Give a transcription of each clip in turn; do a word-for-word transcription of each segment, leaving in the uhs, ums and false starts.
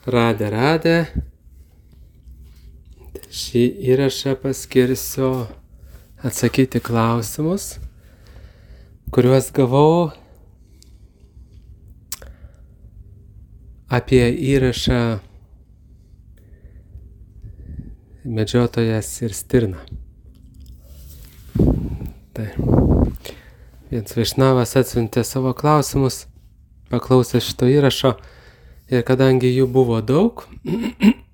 Radę, radę. Šį įrašą paskirsiu atsakyti klausimus, kuriuos gavau apie įrašą Medžiotojas ir stirna. Tai vienas Vaišnavas atsiuntė savo klausimus, paklausė šito įrašo ir kadangi jų buvo daug,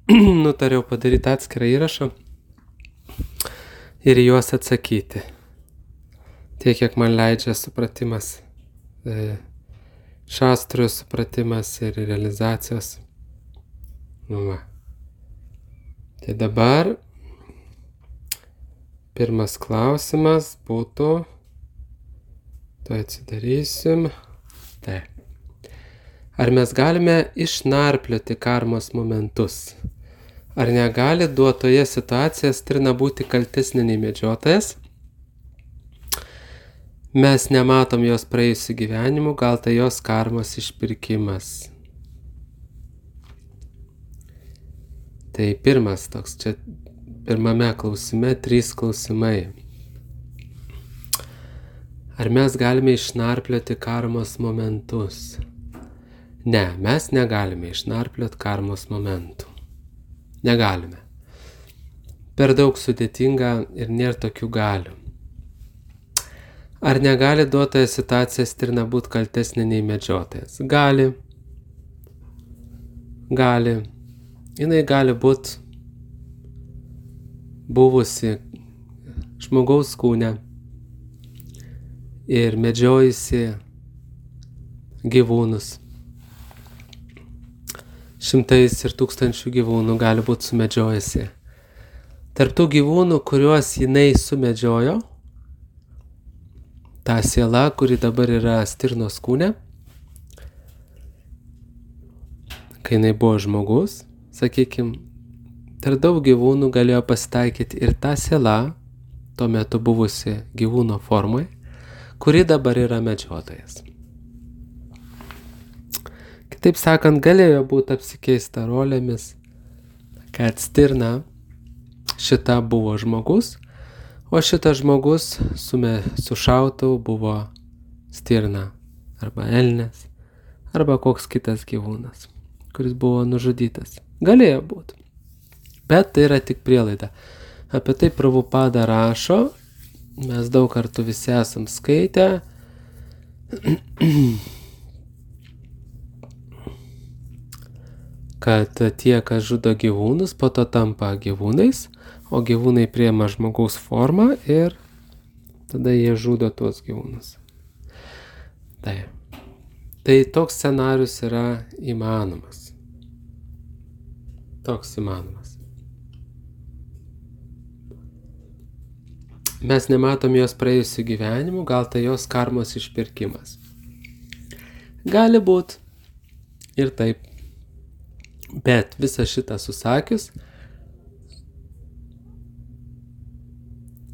nutariau padaryti atskirą įrašą ir juos atsakyti. Tiek, kiek man leidžia supratimas, šastrų supratimas ir realizacijos. Nu, va. Tai dabar pirmas klausimas būtų, tai atsidarysim. Tai. Ar mes galime išnarplioti karmos momentus? Ar negali duotoje situacijoje stirna būti kaltesnė nei medžiotojas? Mes nematom jos praėjusių gyvenimų, gal tai jos karmos išpirkimas. Tai pirmas toks, čia pirmame klausime trys klausimai. Ar mes galime išnarplioti karmos momentus? Ne, mes negalime išnarplioti karmos momentų. Negalime. Per daug sudėtinga ir nėra tokių galių. Ar negali duotoje situacija stirna būti kaltesnė nei medžiotojas? Gali. Gali. Jinai gali būti buvusi žmogaus kūne ir medžiojusi gyvūnus. Šimtais ir tūkstančių gyvūnų gali būti sumedžiojusi. Tarp tų gyvūnų, kuriuos jinai sumedžiojo, ta siela, kuri dabar yra stirnos kūne, kai jinai buvo žmogus, sakykime, tarp daug gyvūnų galėjo pasitaikyti ir ta siela, tuo metu buvusi gyvūno formai, kuri dabar yra medžiotojas. Kitaip sakant, galėjo būti apsikeista rolėmis, kad stirna šita buvo žmogus, o šitas žmogus sume, su šautuvu buvo stirna arba elnias arba koks kitas gyvūnas, kuris buvo nužudytas. Galėjo būti. Bet tai yra tik prielaida. Apie tai Prabhupada rašo, mes daug kartų visi esam skaitę. Kad tie, kas žudo gyvūnus, po to tampa gyvūnais, o gyvūnai priima žmogaus formą ir tada jie žudo tuos gyvūnus. Tai, tai toks scenarius yra įmanomas. Toks įmanomas. Mes nematom jos praėjusių gyvenimų, gal tai jos karmos išpirkimas. Gali būt ir taip. Bet visą šitą susakius,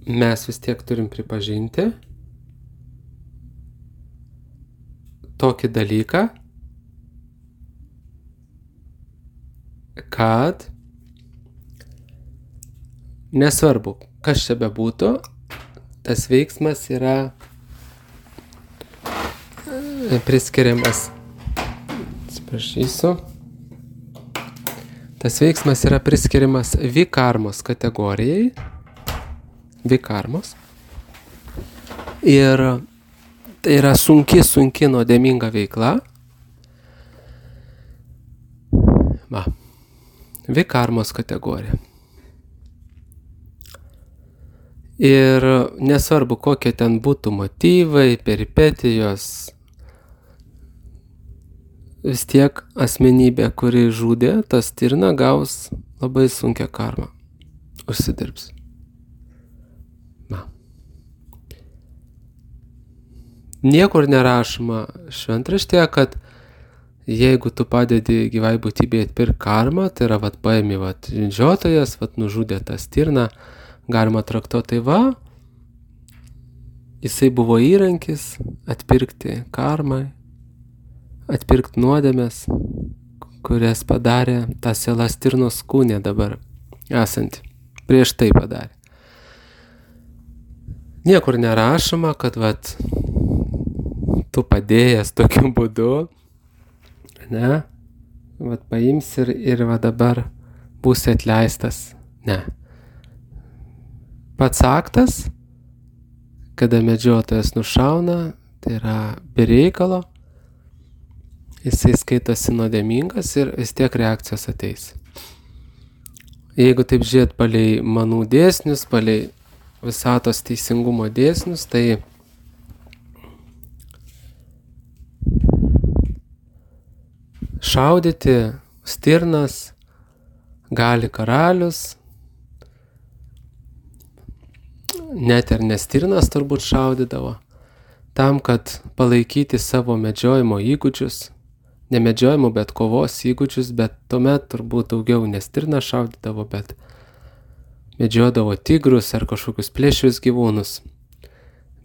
mes vis tiek turim pripažinti tokį dalyką, kad nesvarbu, kas čia bebūtų, tas veiksmas yra priskiriamas, atsiprašysiu, tas veiksmas yra priskiriamas vikarmos kategorijai, vikarmos, ir tai yra sunki, sunki nuodėminga veikla. Va, vikarmos kategorija. Ir nesvarbu, kokie ten būtų motyvai, peripetijos, vis tiek asmenybė, kuri žudė, ta stirna gaus labai sunkią karmą. Užsidirbs. Na. Niekur nerašoma šventraštėje, kad jeigu tu padedi gyvai būtybei atpirkti karmą, tai yra, vat, paimi, vat, medžiotojas, vat, nužudė tą stirną, galima traktuoti, tai va, jisai buvo įrankis atpirkti karmai, atpirkti nuodėmės, kurias padarė ta siela stirnos kūne dabar esanti. Prieš tai padarė. Niekur nerašoma, kad vat, tu padėjęs tokiu būdu, ne, vat paims ir, ir va dabar būsi atleistas. Ne. Pats aktas, kada medžiotojas nušauna, tai yra be reikalo, jisai skaitosi nuodėmingas ir vis tiek reakcijos ateis. Jeigu taip žiūrėt palei manų dėsnius, palei visatos teisingumo dėsnius, tai šaudyti stirnas gali karalius, net ir ne stirnas turbūt šaudydavo, tam, kad palaikyti savo medžiojimo įgūdžius, ne medžiojimo, bet kovos įgūdžius, bet tuomet turbūt daugiau ne stirną šaudydavo, bet medžiodavo tigrus ar kažkokius plėšrius gyvūnus.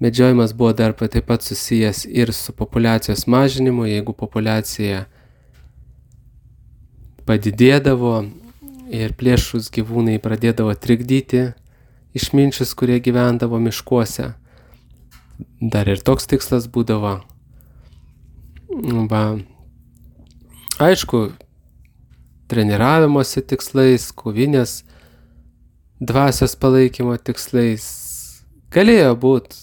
Medžiojimas buvo dar taip pat susijęs ir su populiacijos mažinimu, jeigu populiacija padidėdavo ir plėšrus gyvūnai pradėdavo trikdyti išminčius, kurie gyvendavo miškuose. Dar ir toks tikslas būdavo. Va. Aišku, treniravimosi tikslais, kovinės dvasios palaikymo tikslais galėjo būti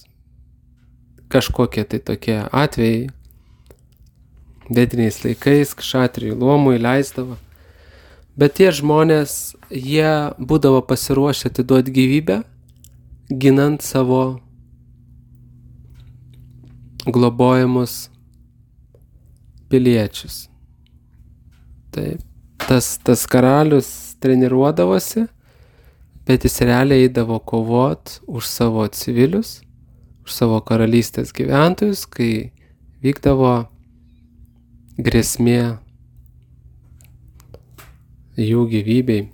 kažkokie tai tokie atvejai. Vediniais laikais kšatrijų luomui leisdavo. Bet tie žmonės, jie būdavo pasiruošę atiduoti gyvybę, ginant savo globojamus piliečius. Taip, tas, tas karalius treniruodavosi, bet jis realiai eidavo kovot už savo civilius, už savo karalystės gyventojus, kai vykdavo grėsmė jų gyvybei.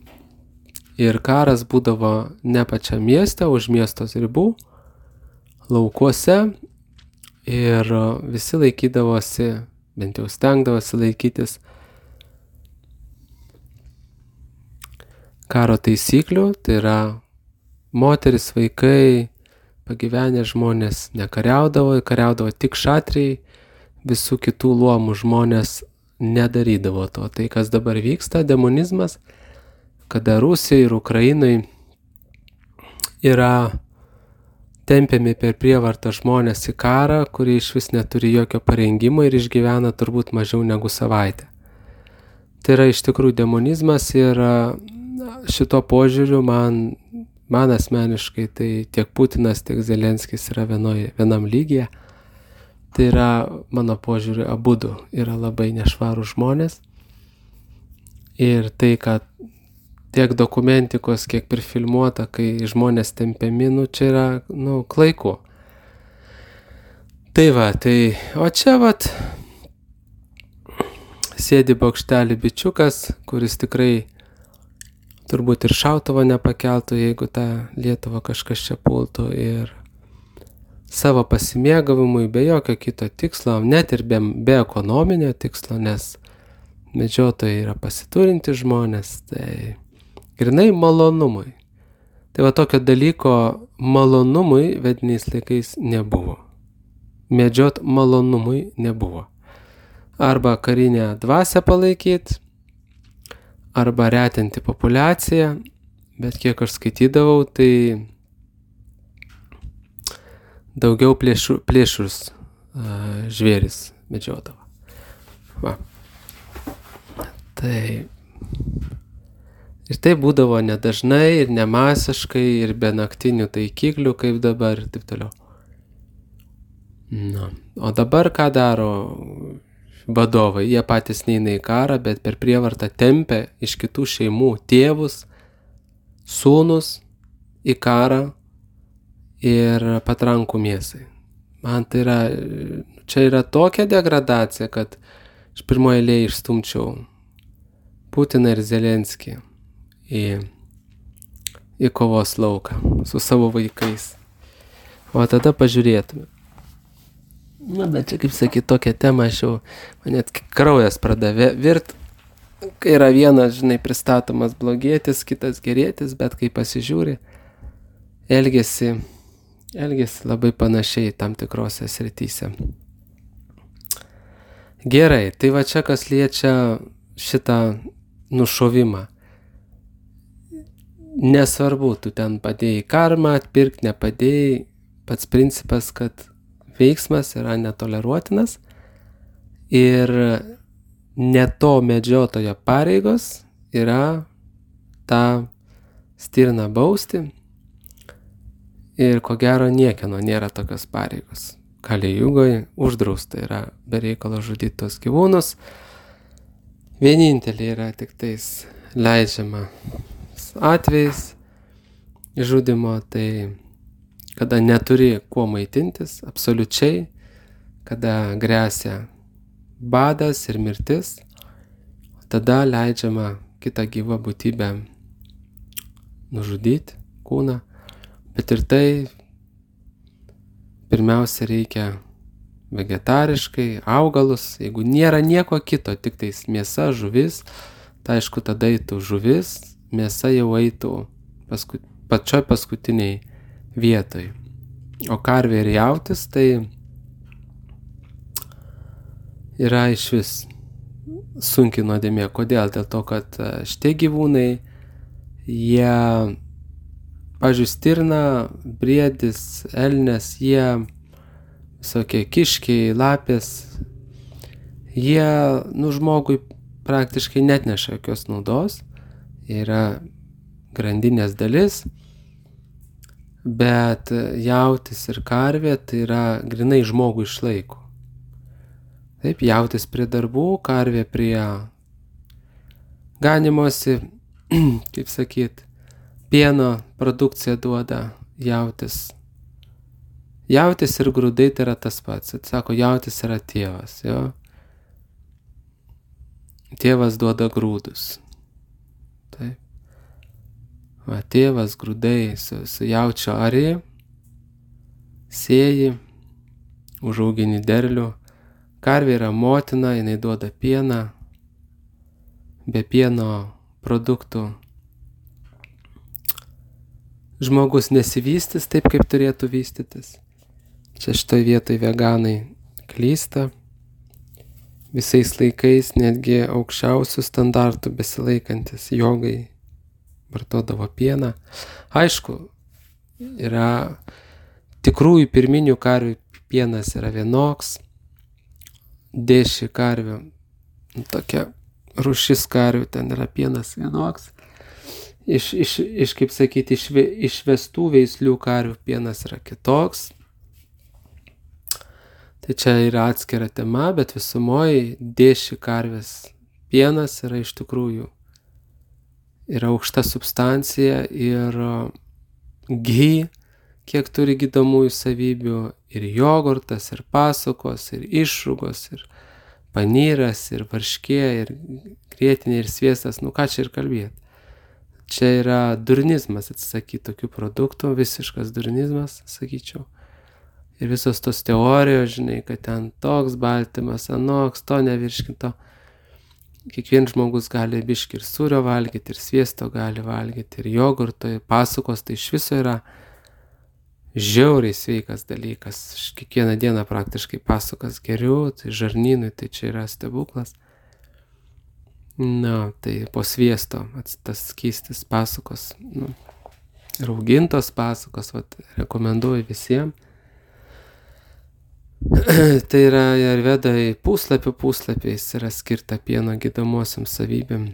Ir karas būdavo ne pačiam mieste, už miestos ribų, laukuose, ir visi laikydavosi, bent jau stengdavosi laikytis karo taisyklių, tai yra moteris, vaikai, pagyvenę žmonės nekariaudavo, kariaudavo tik šatrijai, visų kitų luomų žmonės nedarydavo to. Tai, kas dabar vyksta, demonizmas, kada Rusijai ir Ukrainai yra tempiami per prievartą žmonės į karą, kurie iš vis neturi jokio parengimo ir išgyvena turbūt mažiau negu savaitę. Tai yra iš tikrųjų demonizmas ir šito požiūriu man, man asmeniškai tai tiek Putinas, tiek Zelenskis yra vienoj, vienam lygyje. Tai yra, mano požiūriu, abudu yra labai nešvarūs žmonės. Ir tai, kad tiek dokumentikos, kiek prifilmuota, kai žmonės tempiami, nu čia yra, nu, klaiku. Tai va, tai, o čia vat sėdi bokštelį bičiukas, kuris tikrai turbūt ir šautuvo nepakeltų, jeigu tą Lietuvą kažkas čia pultų, ir savo pasimėgavimui be jokio kito tikslo, net ir be, be ekonominio tikslo, nes medžiotojai yra pasiturinti žmonės, tai grynai malonumui. Tai va tokio dalyko malonumui vediniais laikais nebuvo. Medžiot malonumui nebuvo. Arba karinę dvasią palaikyti, arba retinti populiaciją, bet kiek aš skaitydavau, tai daugiau plėšrus, plėšrus uh, žvėris medžiodavo. Va. Tai ir tai būdavo nedažnai ir nemasiškai ir be naktinių taikiklių, kaip dabar ir taip toliau. Na, o dabar ką daro vadovai? Jie patys neina į karą, bet per prievartą tempia iš kitų šeimų tėvus, sūnus į karą ir patrankų mėsai. Man tai yra, čia yra tokia degradacija, kad iš pirmoje eilėje išstumčiau Putiną ir Zelenskį į, į kovos lauką su savo vaikais. O tada pažiūrėtume. Na, bet čia, kaip sakyti, tokią temą aš jau, man net kraujas pradavė virt, kai yra vienas, žinai, pristatomas blogietis, kitas gerėtis, bet kai pasižiūri, elgiasi, elgiasi labai panašiai tam tikrose srityse. Gerai, tai va čia kas liečia šitą nušovimą. Nesvarbu, tu ten padėjai karmą, atpirkti, nepadėjai, pats principas, kad veiksmas yra netoleruotinas ir ne to medžiotojo pareigos yra tą stirną bausti ir ko gero niekieno nėra tokios pareigos. Kali Jugoje uždrausta yra be reikalo žudyti tos gyvūnus. Vienintelė yra tik tais leidžiama atvejais žudimo, tai kada neturi kuo maitintis, absoliučiai, kada gresia badas ir mirtis, tada leidžiama kitą gyvą būtybę nužudyti kūną, bet ir tai pirmiausia reikia vegetariškai, augalus, jeigu nėra nieko kito, tik tais mėsa, žuvis, tai aišku tada eitų žuvis, mėsa jau eitų paskut, pačioj paskutiniai vietoj. O karvė ir jautis tai yra išvis sunki nuodėmė. Kodėl? Dėl to, kad šitie gyvūnai, jie, pavyzdžiui, stirna, briedis, elnias, jie visokie kiškiai, lapės, jie, nu, žmogui praktiškai netneša jokios naudos, yra grandinės dalis, bet jautis ir karvė tai yra grinai žmogų išlaiko. Taip, jautis prie darbų, karvė prie ganimosi, kaip sakyt, pieno produkciją duoda jautis. Jautis ir grūdai tai yra tas pats. Sako, jautis yra tėvas, jo. Tėvas duoda grūdus. Taip. Va, tėvas grūdai su, su jaučio arį, sėji, užaugini derlių. Karvė yra motina, jinai duoda pieną. Be pieno produktų žmogus nesivystys taip, kaip turėtų vystytis. Čia šitoj vietoj veganai klysta. Visais laikais, netgi aukščiausių standartų besilaikantis jogai vartodavo pieną. Aišku, yra tikrųjų pirminių karvių pienas yra vienoks, dėši karvių, tokia rūšis karvių, ten yra pienas vienoks. Iš, iš, iš kaip sakyti, iš, išvestų veislių karvių pienas yra kitoks. Tai čia yra atskira tema, bet visumoje dėši karvės pienas yra iš tikrųjų yra aukšta substancija ir gy, kiek turi gydomųjų savybių, ir jogurtas, ir pasukos, ir išrūgos, ir panyras, ir varškė, ir grietinė, ir sviestas, nu ką čia ir kalbėti. Čia yra durnizmas atsisakyti tokių produktų, visiškas durnizmas, sakyčiau. Ir visos tos teorijos, žinai, kad ten toks baltymas, anoks, to nevirškinto. Kiekvienas žmogus gali biškį ir sūrio valgyti, ir sviesto gali valgyti, ir jogurto, ir pasukos, tai iš viso yra žiauriai sveikas dalykas. Aš kiekvieną dieną praktiškai pasukas geriu, tai žarnynui, tai čia yra stebuklas. Na, tai po sviesto tas skystis pasukos, nu, raugintos pasukos, vat, rekomenduoju visiems. Tai yra Ajurvedai puslapių puslapiais yra skirta pieno gydomosiam savybėm.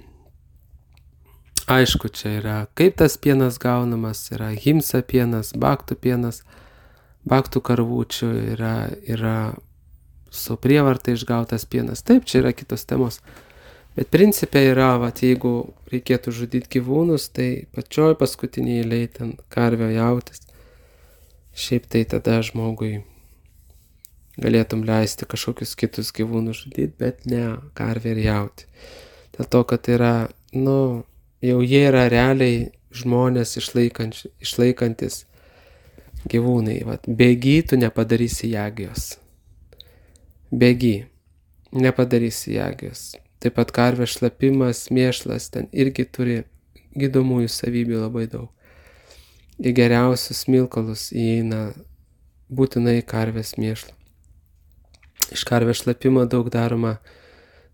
Aišku, čia yra kaip tas pienas gaunamas, yra himsa pienas, baktų pienas, baktų karvučių, yra, yra su prievarta išgautas pienas. Taip, čia yra kitos temos. Bet principė yra, vat, jeigu reikėtų žudyti gyvūnus, tai pačioj paskutiniai eilėj ten karvio jautis. Šiaip tai tada žmogui galėtum leisti kažkokius kitus gyvūnus žudyti, bet ne karvę ir jautį. Dėl to, kad yra, nu, jau jie yra realiai žmonės išlaikantis gyvūnai. Vat, bėgy tu nepadarysi jagijos. Bėgy nepadarysi jagijos. Taip pat karvės šlapimas, mėšlas, ten irgi turi gydomųjų savybių labai daug. Į geriausius smilkalus įeina būtinai karvės mėšlą. Iš karvės šlapimo daug daroma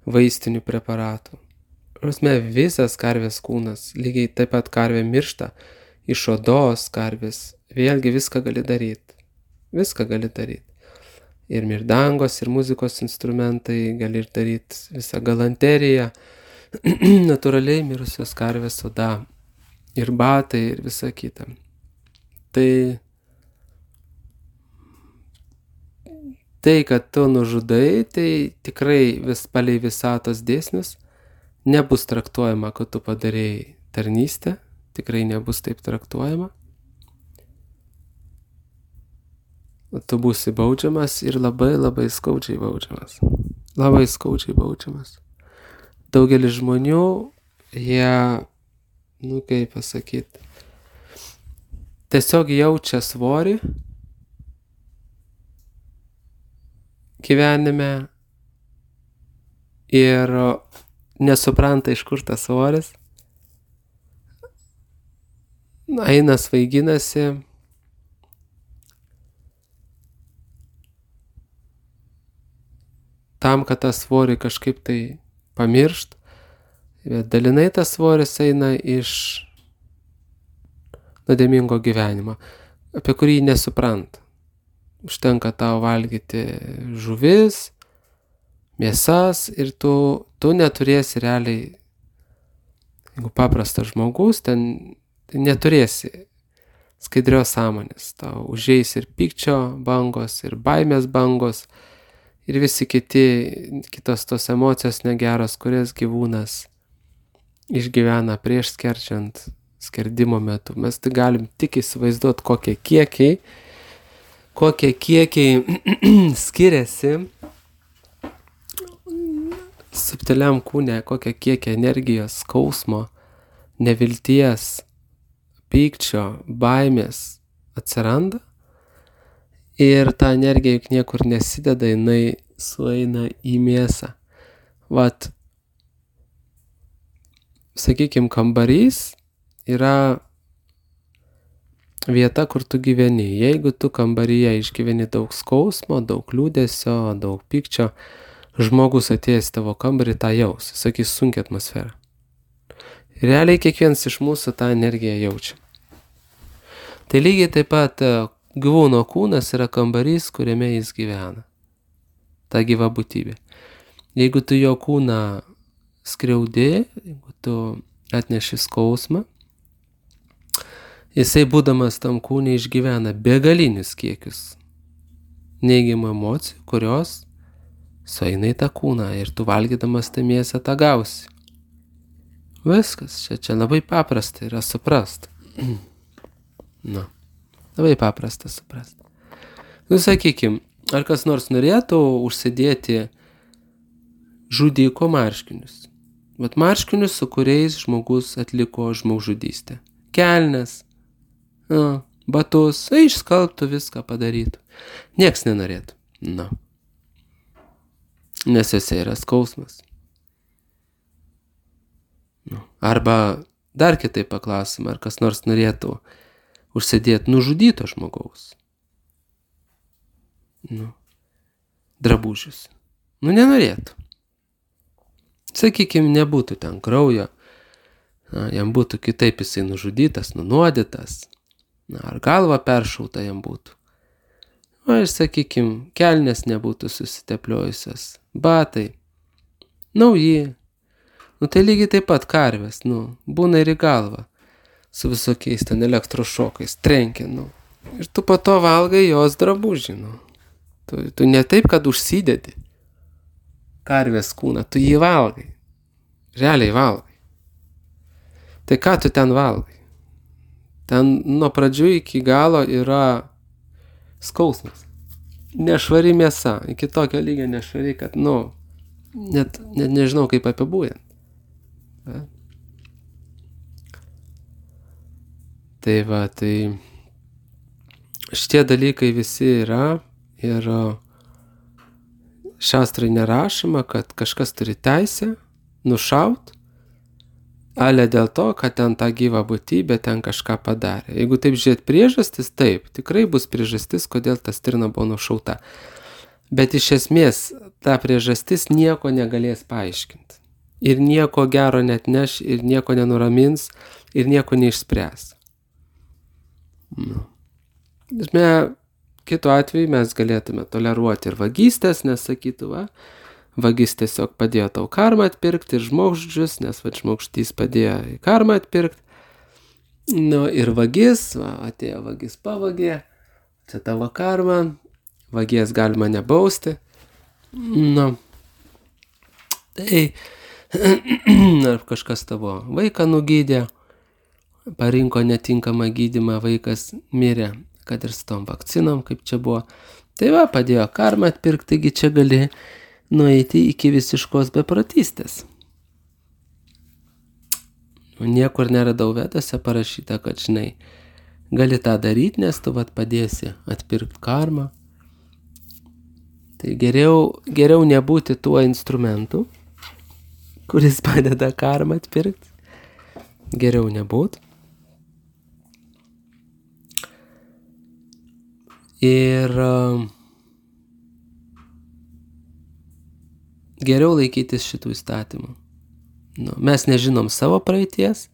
vaistinių preparatų. Prasme, visas karvės kūnas, lygiai taip pat karvė miršta, iš odos karvės, vėlgi viską gali daryti. Viską gali daryti. Ir mirdangos, ir muzikos instrumentai, gali ir daryti visą galanteriją, natūraliai mirusios karvės oda, ir batai, ir visa kita. Tai, tai, kad tu nužudai, tai tikrai vis palei visatos dėsnius nebus traktuojama, kad tu padarėjai tarnystę, tikrai nebus taip traktuojama. Tu būsi baudžiamas ir labai labai skaudžiai baudžiamas. Labai skaudžiai baudžiamas. Daugelis žmonių, jie, nu kaip pasakyti, tiesiog jaučia svorį gyvenime ir nesupranta, iš kur tas svoris. Eina svaiginasi. Tam, kad tą svorį kažkaip tai pamiršt, bet dalinai tas svoris eina iš nuodėmingo gyvenimo, apie kurį nesupranta. Užtenka tau valgyti žuvis, mėsas ir tu, tu neturėsi realiai, jeigu paprastas žmogus, ten neturėsi skaidrios sąmonės. Tau užeis ir pykčio bangos, ir baimės bangos, ir visi kiti, kitos tos emocijos negeros, kurias gyvūnas išgyvena prieš skerčiant, skerdimo metu. Mes tai galim tik įsivaizduoti, kokie kiekiai, kokie kiekiai skiriasi subtiliam kūne, kokie kiekiai energijos, skausmo, nevilties, pykčio, baimės atsiranda. Ir ta energija juk niekur nesideda, jinai sueina į mėsą. Vat, sakykim, kambarys yra vieta, kur tu gyveni. Jeigu tu kambaryje išgyveni daug skausmo, daug liūdesio, daug pykčio, žmogus atėjęs tavo kambarį tą jaus, sakys, sunkia atmosfera. Realiai kiekvienas iš mūsų tą energiją jaučia. Tai lygiai taip pat gyvūno kūnas yra kambarys, kuriame jis gyvena. Ta gyva būtybė. Jeigu tu jo kūną skriaudė, jeigu tu atneši skausmą, jisai būdamas tam kūne išgyvena begalinius kiekius neigiamų emocijų, kurios sueina į tą kūną ir tu valgydamas tą mėsą tą gausi. Viskas, čia, čia labai paprasta yra suprast. Na, labai paprasta suprast. Nu, sakykim, ar kas nors norėtų užsidėti žudiko marškinius? Vat marškinius, su kuriais žmogus atliko žmogžudystę. Kelnes, na, batus, išskalbtų viską padarytų. Nieks nenorėtų. Na. Nes jose yra skausmas. Nu. Arba dar kitaip paklausim, ar kas nors norėtų užsidėti nužudyto žmogaus. Nu. Drabužius. Nu, nenorėtų. Sakykime, nebūtų ten kraujo. Na, jam būtų kitaip jisai nužudytas, nunuodytas. Na, ar galva peršauta jam būtų. O ir sakykime, kelnes nebūtų susitepliojusios. Batai. Nauji. Nu, tai lygiai taip pat karvės, nu, būna ir į galvą. Su visokiais ten elektrošokais, trenkia, nu. Ir tu po to valgai jos drabužį, nu. Tu, tu ne taip, kad užsidedi karvės kūną, tu jį valgai. Realiai valgai. Tai ką tu ten valgai? Ten nuo pradžių iki galo yra skausmas. Nešvari mėsa, iki tokio lygio nešvari, kad, nu, net, net nežinau kaip apibūdinti. Tai va, tai šitie dalykai visi yra ir šastrai nerašoma, kad kažkas turi teisę nušaut, ale dėl to, kad ten ta gyva būtybė ten kažką padarė. Jeigu taip žiūrėt priežastis, taip, tikrai bus priežastis, kodėl ta stirna buvo nušauta. Bet iš esmės ta priežastis nieko negalės paaiškinti. Ir nieko gero net neš, ir nieko nenuramins, ir nieko neišspręs. Nu. Esmė, kitu atveju mes galėtume toleruoti ir vagystės, nes sakytų, va, vagis tiesiog padėjo tau karmą atpirkti ir žmogždžius, nes va, žmogždys padėjo į karmą atpirkti. Nu, ir vagis, va, atėjo vagis pavagė, čia tavo karma, vagies galima nebausti. Nu, tai ar kažkas tavo vaiką nugydė, parinko netinkamą gydymą, vaikas mirė, kad ir su tom vakcinom, kaip čia buvo. Tai va, padėjo karmą atpirkti, taigi čia gali nueiti iki visiškos beprotystės. Niekur neradau vedose parašyta, kad, žinai, gali tą daryti, nes tu vat padėsi atpirkti karmą. Tai geriau, geriau nebūti tuo instrumentu, kuris padeda karmą atpirkti. Geriau nebūti. Ir uh, geriau laikytis šitų įstatymų. Nu, mes nežinom savo praeities,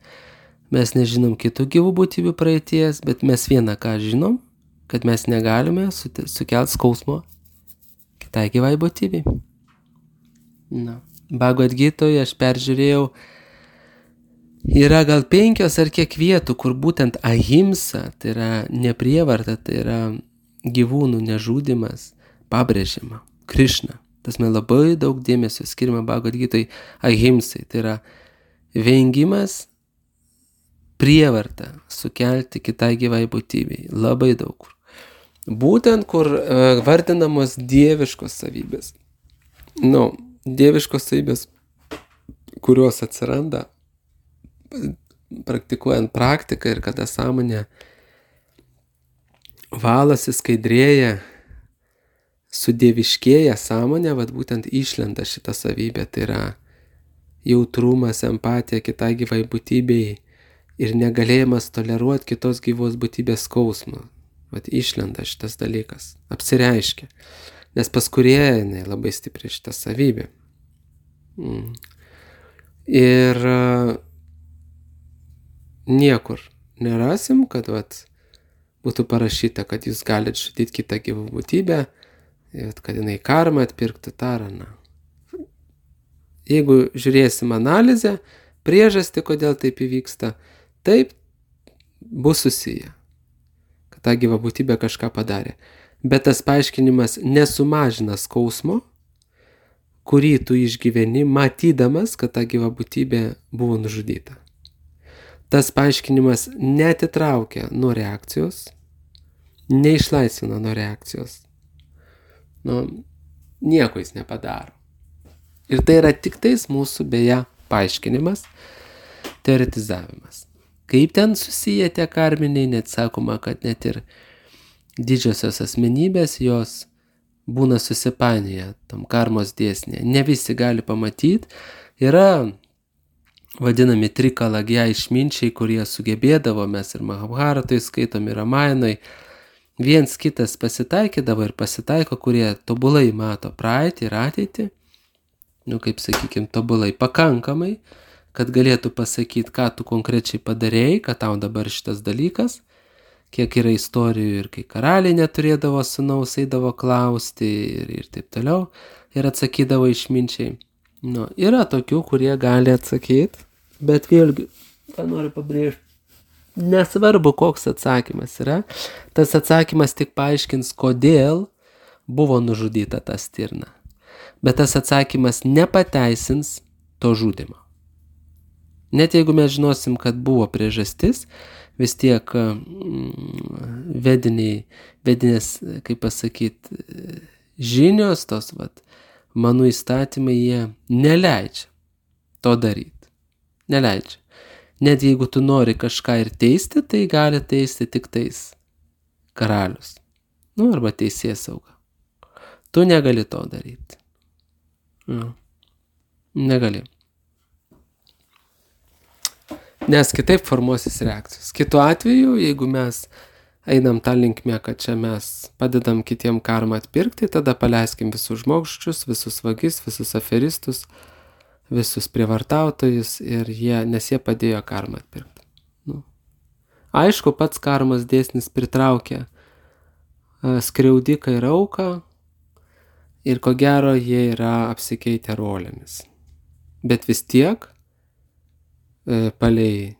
mes nežinom kitų gyvų būtybių praeities, bet mes vieną ką žinom, kad mes negalime sukelti skausmo kitai gyvai būtybei. Nu, Bhagavad Gitoje aš peržiūrėjau, yra gal penkios ar kiek vietų, kur būtent ahimsa, tai yra neprievarta, tai yra gyvūnų nežudymas, pabrėžiama. Krišna. Tas man labai daug dėmesio skiriama Bhagavad Gitoje ahimsai. Tai yra vengimas prievartą sukelti kitai gyvai būtybei. Labai daug kur. Būtent kur uh, vardinamos dieviškos savybės. Nu, dieviškos savybės, kurios atsiranda praktikuojant praktiką ir kada sąmonė valasi, skaidrėja, sudieviškėja sąmonė, vat būtent išlenda šitą savybę, tai yra jautrumas, empatija kitai gyvai būtybei ir negalėjimas toleruoti kitos gyvos būtybės skausmą. Vat išlenda šitas dalykas, apsireiškia, nes pas kūrėją jinai labai stipri šitą savybę. Mm. Ir uh, niekur nerasim, kad vat būtų parašyta, kad jūs galite žudyti kitą gyvą būtybę, kad jinai karmą atpirktų taraną. Jeigu žiūrėsim analizę, priežastį, kodėl taip įvyksta, taip bus susiję, kad ta gyva būtybė kažką padarė. Bet tas paaiškinimas nesumažina skausmo, kurį tu išgyveni, matydamas, kad ta gyva būtybė buvo nužudyta. Tas paaiškinimas neatitraukia nuo reakcijos, neišlaisvina nuo reakcijos. Nu, nieko jis nepadaro. Ir tai yra tik tais mūsų beje paaiškinimas, teoretizavimas. Kaip ten susiję tie karminiai, net sakoma, kad net ir didžiosios asmenybės jos būna susipainioję tam karmos dėsnėje. Ne visi gali pamatyti. Yra vadinami trikalagija išminčiai, kurie sugebėdavo, mes ir Mahabharatoj skaitom, ir Ramajanoj, viens kitas pasitaikydavo ir pasitaiko, kurie tobulai mato praeitį ir ateitį, nu kaip sakykim, tobulai pakankamai, kad galėtų pasakyti, ką tu konkrečiai padarėjai, kad tau dabar šitas dalykas, kiek yra istorijų ir kai karaliai neturėdavo sūnaus, eidavo klausti ir, ir taip toliau, ir atsakydavo išminčiai. Nu, yra tokių, kurie gali atsakyti, bet vėlgi, ką noriu pabrėžti, nesvarbu, koks atsakymas yra, tas atsakymas tik paaiškins, kodėl buvo nužudyta ta stirna. Bet tas atsakymas nepateisins to žudimo. Net jeigu mes žinosim, kad buvo priežastis, vis tiek vediniai, vedinės, kaip pasakyti, žinios tos, vat, manų įstatymai, jie neleidžia to daryti. Neleidžia. Net jeigu tu nori kažką ir teisti, tai gali teisti tik tais karalius. Nu, arba teisėsauga. Tu negali to daryti. Nu, negali. Nes kitaip formuosis reakcijos. Kitu atveju, jeigu mes einam tą linkmę, kad čia mes padedam kitiem karmą atpirkti, tada paleiskim visus žmogžudžius, visus vagis, visus aferistus, visus prievartautojus, ir jie, nes jie padėjo karmą atpirkti. Nu. Aišku, pats karmos dėsnis pritraukia skriaudiką ir auką, ir ko gero jie yra apsikeitę rolėmis. Bet vis tiek, palei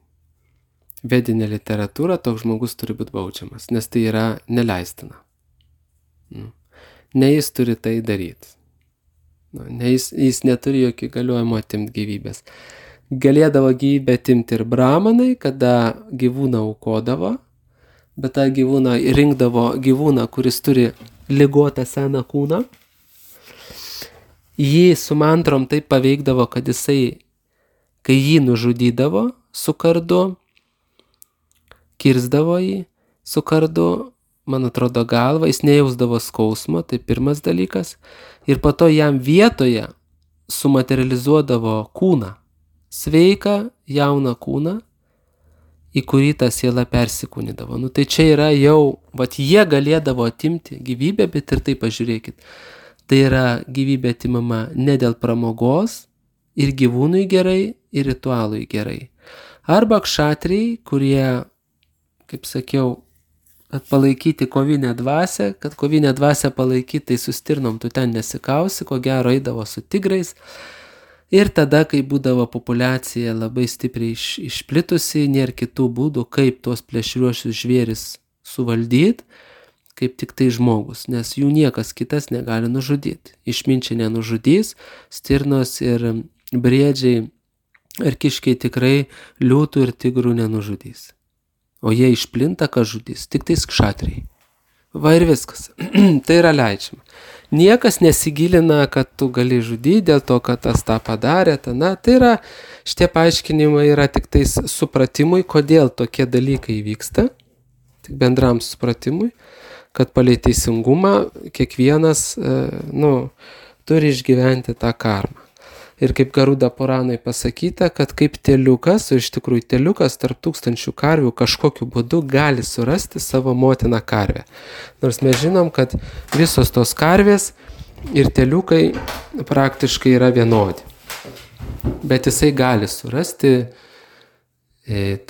vedinę literatūrą, toks žmogus turi būti baudžiamas, nes tai yra neleistina. Ne jis turi tai daryti. Ne jis, jis neturi jokio įgaliojimo atimti gyvybės. Galėdavo gyvybę atimti ir bramanai, kada gyvūną aukodavo, bet tą gyvūną rinkdavo gyvūną, kuris turi ligotą seną kūną. Jį su mantrom taip paveikdavo, kad jisai, kai jį nužudydavo su kardu, kirsdavo jį su kardu, man atrodo galvą, jis nejausdavo skausmo, tai pirmas dalykas, ir po to jam vietoje sumaterializuodavo kūną, sveiką, jauną kūną, į kurį ta siela persikūnydavo. Nu tai čia yra jau, vat jie galėdavo atimti gyvybę, bet ir tai pažiūrėkit. Tai yra gyvybė atimama ne dėl pramogos, ir gyvūnui gerai, ir ritualui gerai. Arba kšatriai, kurie, kaip sakiau, kad palaikyti kovinę dvasią, kad kovinę dvasią palaikyti, tai su stirnom tu ten nesikausi, ko gero eidavo su tigrais. Ir tada, kai būdavo populiacija labai stipriai iš, išplitusi, nėra kitų būdų, kaip tuos plėšriuosius žvėris suvaldyti, kaip tik tai žmogus, nes jų niekas kitas negali nužudyti. Išminčiai nenužudys, stirnos ir briedžiai ir kiškiai tikrai liūtų ir tigrų nenužudys. O jie išplinta, ką žudys, tik tais kšatriai. Va ir viskas. Tai yra leidžiama. Niekas nesigilina, kad tu gali žudyti dėl to, kad tas tą padarė. Ta, na, tai yra, šitie paaiškinimai yra tik tais supratimui, kodėl tokie dalykai vyksta, tik bendram supratimui, kad palei teisingumą kiekvienas, nu, turi išgyventi tą karmą. Ir kaip Garuda Puranai pasakyta, kad kaip teliukas, o iš tikrųjų teliukas tarp tūkstančių karvių kažkokiu būdu gali surasti savo motiną karvę. Nors mes žinom, kad visos tos karvės ir teliukai praktiškai yra vienodi. Bet jisai gali surasti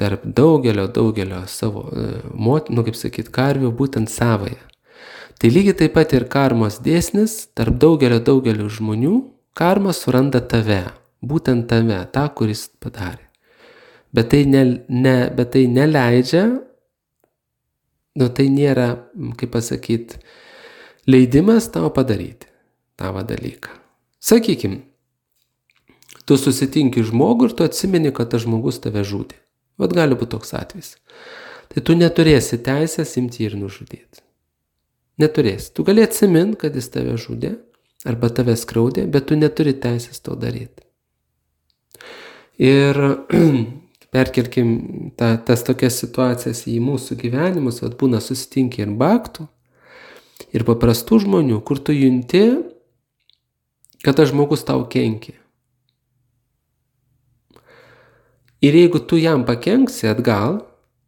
tarp daugelio, daugelio savo motinų, nu, kaip sakyt, karvių, būtent savąją. Tai lygiai taip pat ir karmos dėsnis, tarp daugelio, daugelio žmonių, karma suranda tave, būtent tave, tą, kuris padarė. Bet tai, ne, ne, bet tai neleidžia, nu tai nėra, kaip pasakyti, leidimas tau padaryti tavo dalyką. Sakykim, tu susitinki žmogų ir tu atsimeni, kad tas žmogus tave žudė. Vat gali būti toks atvejis. Tai tu neturėsi teisės imti ir nužudyti. Neturėsi. Tu gali atsiminti, kad jis tave žudė, arba tave skriaudė, bet tu neturi teisės to daryti. Ir perkelkim ta, tas tokias situacijas į mūsų gyvenimus, vat būna susitinki ir baktų, ir paprastų žmonių, kur tu junti, kad tas žmogus tau kenkia. Ir jeigu tu jam pakenksi atgal,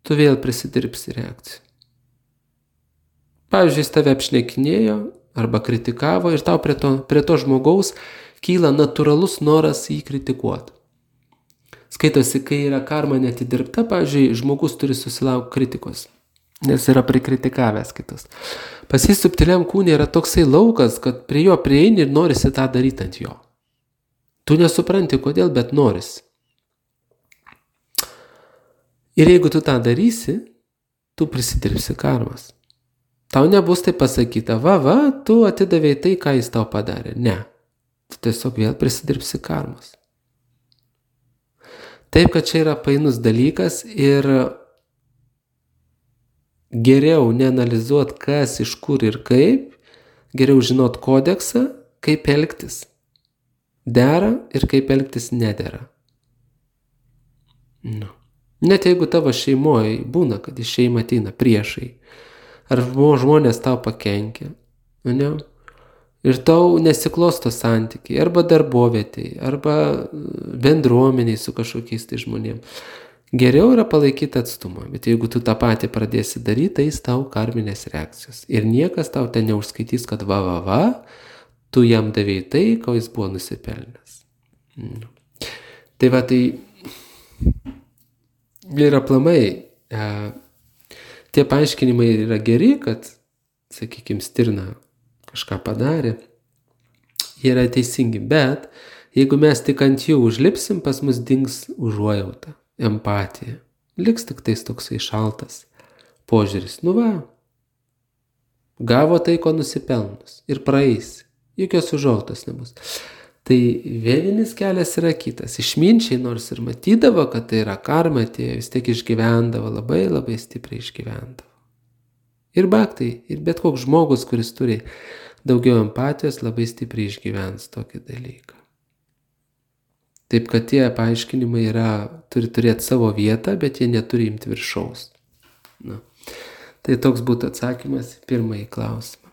tu vėl prisidirbsi reakciją. Pavyzdžiui, jis tave apšnekinėjo arba kritikavo ir tau prie to, prie to žmogaus kyla natūralus noras jį kritikuoti. Skaitosi, kai yra karma neatidirbta, pavyzdžiui, žmogus turi susilaukti kritikos, nes yra prikritikavęs kitus. Pas jį subtiliam kūne yra toksai laukas, kad prie jo prieini ir norisi tą daryti ant jo. Tu nesupranti kodėl, bet norisi. Ir jeigu tu tą darysi, tu prisidirbsi karmas. Tau nebus tai pasakyta, va, va, tu atidavėjai tai, ką jis tau padarė. Ne. Tu tiesiog vėl prisidirbsi karmas. Taip, kad čia yra painus dalykas ir geriau neanalizuot, kas, iš kur ir kaip, geriau žinot kodeksą, kaip elgtis dera ir kaip elgtis nedera. Nu. Net jeigu tavo šeimoje būna, kad iš šeima ateina priešai, ar žmonės tau pakenkia, ne? Ir tau nesiklosto santykiai, arba darbovietėje, arba bendruomeniai su kažkokiais tai žmonėm. Geriau yra palaikyti atstumą, bet jeigu tu tą patį pradėsi daryti, tai jis tau karminės reakcijos. Ir niekas tau ten neužskaitys, kad va, va, va, tu jam davėjai tai, ko jis buvo nusipelnęs. Mm. Tai va, tai ir aplamai, e, tie paaiškinimai yra geri, kad, sakykime, stirna kažką padarė, jie yra teisingi, bet jeigu mes tik ant jų užlipsim, pas mus dings užuojauta, empatija. Liks tik tais toksai šaltas požiūris. Nu va, gavo tai, ko nusipelnus ir praeis. Jokios užuojautos nebus. Tai vieninis kelias yra kitas. Išminčiai nors ir matydavo, kad tai yra karma, tie vis tiek išgyvendavo, labai labai stipriai išgyvendavo. Ir baktai, ir bet koks žmogus, kuris turi daugiau empatijos, labai stipriai išgyvens tokį dalyką. Taip, kad tie paaiškinimai yra, turi turėti savo vietą, bet jie neturi imti viršaus. Na. Tai toks būtų atsakymas į pirmąjį klausimą.